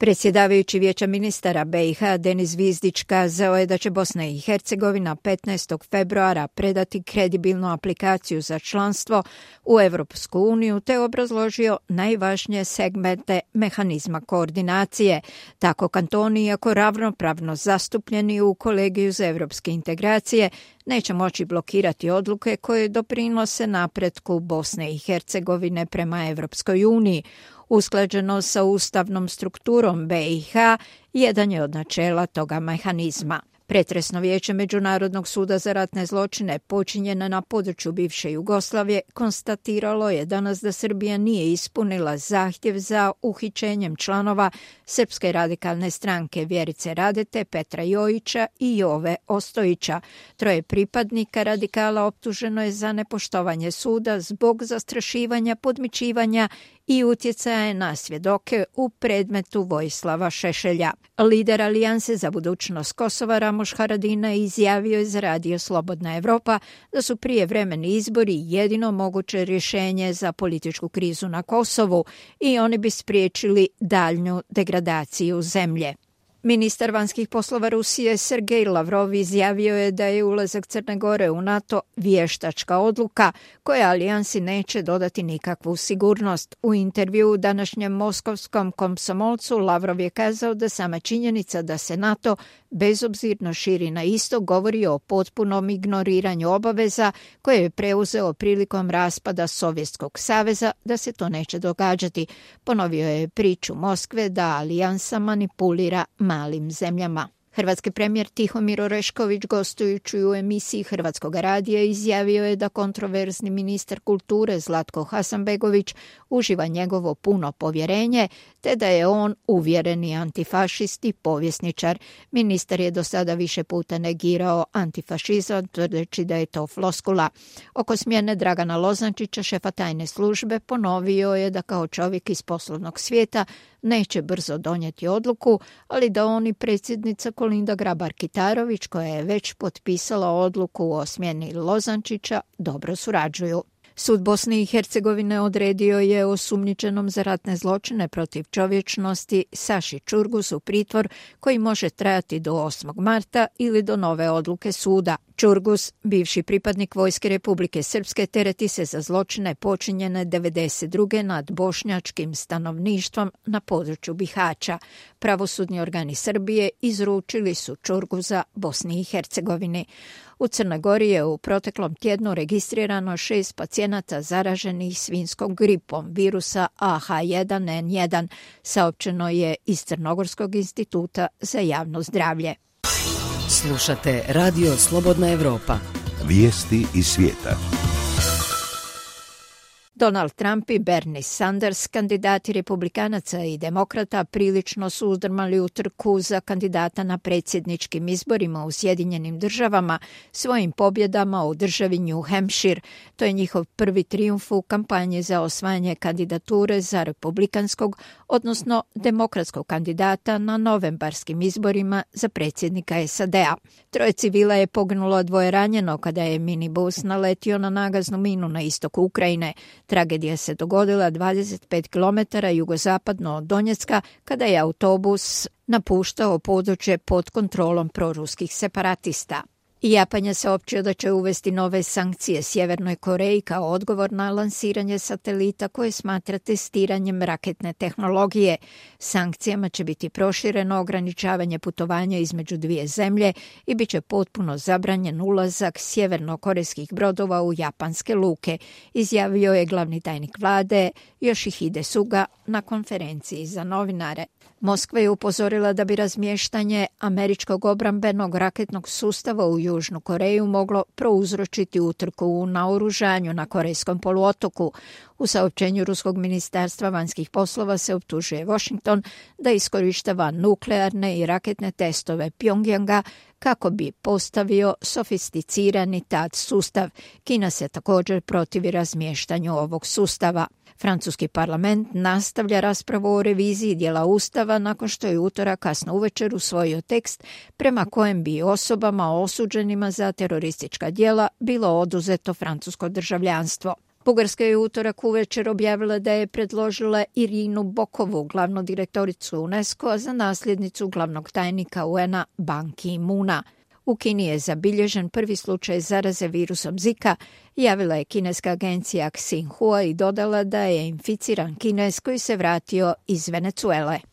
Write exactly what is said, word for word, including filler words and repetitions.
Predsjedavajući Vijeća ministara B i H Denis Zvizdić kazao je da će Bosna i Hercegovina petnaestog februara predati kredibilnu aplikaciju za članstvo u Europsku uniju te obrazložio najvažnije segmente mehanizma koordinacije. Tako kantoni, iako ravnopravno zastupljeni u kolegiju za europske integracije, neće moći blokirati odluke koje doprinose napretku Bosne i Hercegovine prema Europskoj uniji. Usklađeno sa ustavnom strukturom B i H jedan je od načela toga mehanizma. Pretresno vijeće Međunarodnog suda za ratne zločine počinjene na području bivše Jugoslavije konstatiralo je danas da Srbija nije ispunila zahtjev za uhićenjem članova Srpske radikalne stranke Vjerice Radete, Petra Jojića i Jove Ostojića. Troje pripadnika radikala optuženo je za nepoštovanje suda zbog zastrašivanja, podmićivanja i utjecaje na svjedoke u predmetu Vojislava Šešelja. Lider Alijanse za budućnost Kosova Ramoš Haradinaj izjavio je za Radio Slobodna Evropa da su prijevremeni izbori jedino moguće rješenje za političku krizu na Kosovu i oni bi spriječili daljnju degradaciju zemlje. Ministar vanjskih poslova Rusije Sergej Lavrov izjavio je da je ulazak Crne Gore u NATO vještačka odluka koja alijansi neće dodati nikakvu sigurnost. U intervju u današnjem moskovskom Komsomolcu Lavrov je kazao da sama činjenica da se NATO bezobzirno širi na istok govori o potpunom ignoriranju obaveza koje je preuzeo prilikom raspada Sovjetskog saveza, da se to neće događati. Ponovio je priču Moskve da alijansa manipulira malim zemljama. Hrvatski premijer Tihomir Orešković, gostujući u emisiji Hrvatskog radija, izjavio je da kontroverzni ministar kulture Zlatko Hasanbegović uživa njegovo puno povjerenje, te da je on uvjereni antifašist i povjesničar. Ministar je do sada više puta negirao antifašizam, tvrdeći da je to floskula. Oko smjene Dragana Lozančića, šefa tajne službe, ponovio je da kao čovjek iz poslovnog svijeta neće brzo donijeti odluku, ali da on i predsjednica Kolinda Grabar-Kitarović, koja je već potpisala odluku o smjeni Lozančića, dobro surađuju. Sud Bosne i Hercegovine odredio je osumnjičenom za ratne zločine protiv čovječnosti Saši Čurgusu pritvor koji može trajati do osmog marta ili do nove odluke suda. Čurgus, bivši pripadnik Vojske Republike Srpske, tereti se za zločine počinjene devedeset druge nad bošnjačkim stanovništvom na području Bihaća. Pravosudni organi Srbije izručili su Čurguza Bosni i Hercegovini. U Crnoj Gori je u proteklom tjednu registrirano šest pacijenata zaraženih svinjskom gripom virusa A H jedan N jedan, saopćeno je iz Crnogorskog instituta za javno zdravlje. Slušate Radio Slobodna Evropa. Vijesti iz svijeta. Donald Trump i Bernie Sanders, kandidati republikanaca i demokrata, prilično su uzdrmali u trku za kandidata na predsjedničkim izborima u Sjedinjenim državama svojim pobjedama u državi New Hampshire. To je njihov prvi trijumf u kampanji za osvajanje kandidature za republikanskog, odnosno demokratskog kandidata na novembarskim izborima za predsjednika S A D-a. Troje civila je poginulo, dvoje ranjeno kada je minibus naletio na nagaznu minu na istoku Ukrajine. Tragedija se dogodila dvadeset pet kilometara jugozapadno od Donjecka kada je autobus napuštao područje pod kontrolom proruskih separatista. Japan je saopćio da će uvesti nove sankcije Sjevernoj Koreji kao odgovor na lansiranje satelita koje smatra testiranjem raketne tehnologije. Sankcijama će biti prošireno ograničavanje putovanja između dvije zemlje i bit će potpuno zabranjen ulazak sjevernokorejskih brodova u japanske luke, izjavio je glavni tajnik vlade Yoshihide Suga na konferenciji za novinare. Moskva je upozorila da bi razmještanje američkog obrambenog raketnog sustava u Južnu Koreju moglo prouzročiti utrku u naoružanju na Korejskom poluotoku. U saopćenju Ruskog ministarstva vanjskih poslova se optužuje Washington da iskorištava nuklearne i raketne testove Pjongjanga kako bi postavio sofisticirani T A D sustav. Kina se također protivi razmještanju ovog sustava. Francuski parlament nastavlja raspravu o reviziji dijela Ustava nakon što je utorak kasno uvečer usvojio tekst prema kojem bi osobama osuđenima za teroristička djela bilo oduzeto francusko državljanstvo. Bugarska je utorak uvečer objavila da je predložila Irinu Bokovu, glavnu direktoricu UNESCO-a, za nasljednicu glavnog tajnika U N-a Ban Ki-moona. U Kini je zabilježen prvi slučaj zaraze virusom Zika, javila je kineska agencija Xinhua i dodala da je inficiran Kinez koji se vratio iz Venecuele.